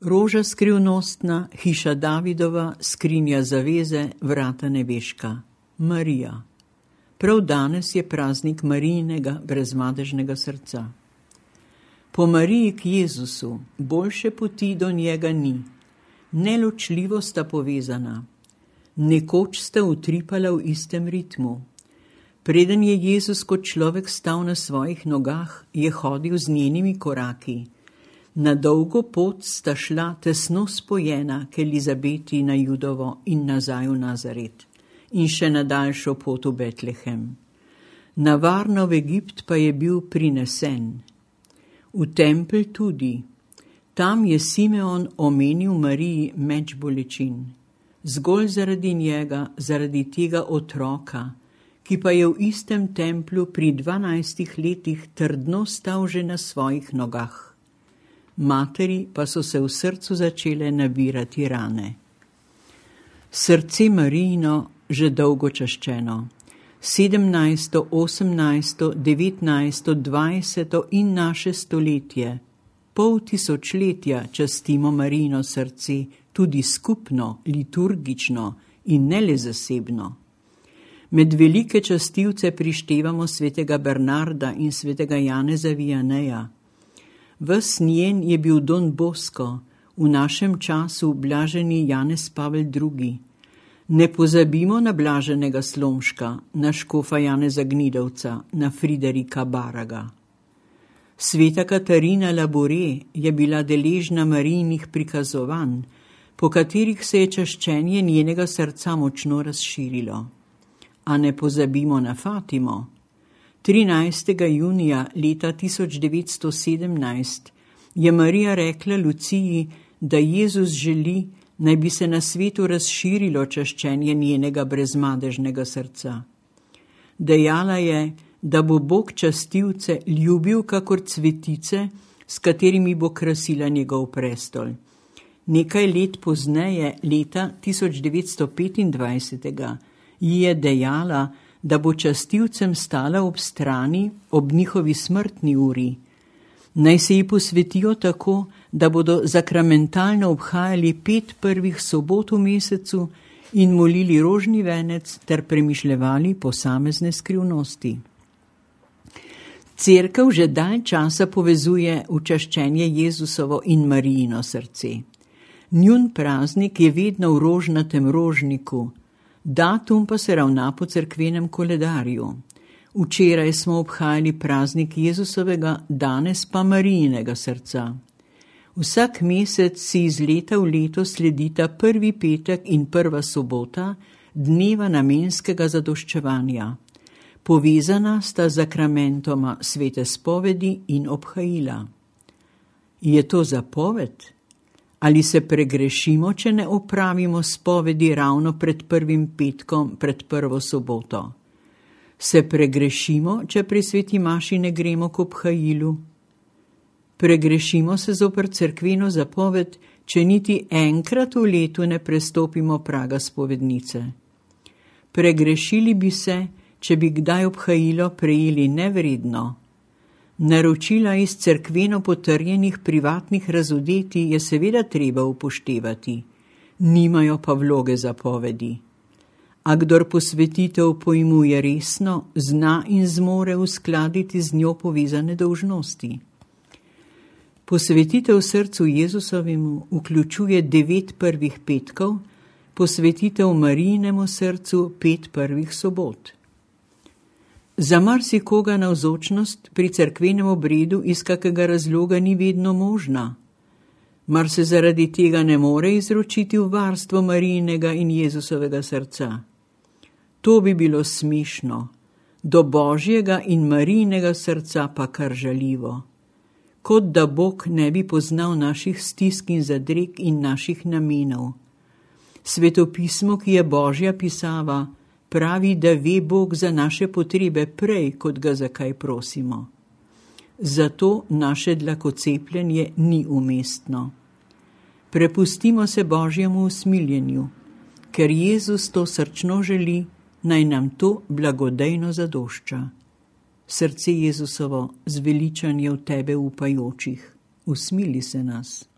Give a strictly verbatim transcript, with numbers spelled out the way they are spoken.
Roža skrivnostna, hiša Davidova, skrinja zaveze, vrata nebeška. Marija. Prav danes je praznik Marijinega brezmadežnega srca. Po Mariji k Jezusu boljše poti do njega ni. Neločljivo sta povezana. Nekoč sta utripala v istem ritmu. Preden je Jezus kot človek stal na svojih nogah, je hodil z njenimi koraki. Na dolgo pot sta šla tesno spojena k Elizabeti na Judovo in nazaj v Nazaret in še na daljšo pot v Betlehem. Na varno v Egipt pa je bil prinesen. V tempelj tudi. Tam je Simeon omenil Mariji meč bolečin. Zgolj zaradi njega, zaradi tega otroka, ki pa je v istem templju pri dvanajstih letih trdno stal že na svojih nogah. Materi pa so se v srcu začele nabirati rane. Srce Marijino že dolgo čaščeno. sedemnajsto, osemnajsto, devetnajsto, dvajseto in naše stoletje, pol tisočletja častimo Marijino srce, tudi skupno, liturgično in ne le zasebno. Med velike častilce prištevamo svetega Bernarda in svetega Janeza Vianeja. Ves njen je bil Don Bosco, v našem času blaženi Janez Pavel drugi. Ne pozabimo na blaženega Slomška, na škofa Janeza Gnidovca, na Friderika Baraga. Sveta Katarina Labore je bila deležna Marijinih prikazovanj, po katerih se je čaščenje njenega srca močno razširilo. A ne pozabimo na Fatimo. trinajstega junija leta tisoč devetsto sedemnajst je Marija rekla Luciji, da Jezus želi, naj bi se na svetu razširilo čaščenje njenega brezmadežnega srca. Dejala je, da bo Bog častilce ljubil kakor cvetice, s katerimi bo krasila njegov prestol. Nekaj let pozneje, leta tisoč devetsto petindvajset, ji je dejala, da bo častilcem stala ob strani ob njihovi smrtni uri. Naj se ji posvetijo tako, da bodo zakramentalno obhajali pet prvih sobot v mesecu in molili rožni venec ter premišljevali posamezne skrivnosti. Cerkev že dalj časa povezuje učaščenje Jezusovo in Marijino srce. Njun praznik je vedno v rožnatem rožniku, datum pa se ravna po cerkvenem koledarju. Včeraj smo obhajali praznik Jezusovega, danes pa Marijinega srca. Vsak mesec si iz leta v leto sledita prvi petek in prva sobota dneva namenskega zadoščevanja. Povezana sta zakramentoma svete spovedi in obhajila. Je to zapoved? Ali se pregrešimo, če ne opravimo spovedi ravno pred prvim petkom, pred prvo soboto? Se pregrešimo, če pri sveti maši ne gremo k obhajilu? Pregrešimo se zoper cerkveno zapoved, če niti enkrat v letu ne prestopimo praga spovednice. Pregrešili bi se, če bi kdaj obhajilo prejeli nevredno. Naročila iz cerkveno potrjenih privatnih razodetij je seveda treba upoštevati, nimajo pa vloge zapovedi. A kdor posvetitev pojmuje resno, zna in zmore uskladiti z njo povezane dolžnosti. Posvetitev srcu Jezusovemu vključuje devet prvih petkov, posvetitev Marijinemu srcu pet prvih sobot. Za marsikoga navzočnost pri cerkvenem obredu iz kakega razloga ni vedno možna. Mar se zaradi tega ne more izročiti v varstvo Marijinega in Jezusovega srca? To bi bilo smešno, do Božjega in Marijinega srca pa kar žaljivo. Kot da Bog ne bi poznal naših stisk in zadreg in naših namenov. Svetopismo, ki je Božja pisava, pravi, da ve Bog za naše potrebe prej, kot ga za kaj prosimo. Zato naše dlakocepljenje ni umestno. Prepustimo se Božjemu usmiljenju, ker Jezus to srčno želi, naj nam to blagodejno zadošča. Srce Jezusovo, zveličanje v tebe upajočih, usmili se nas.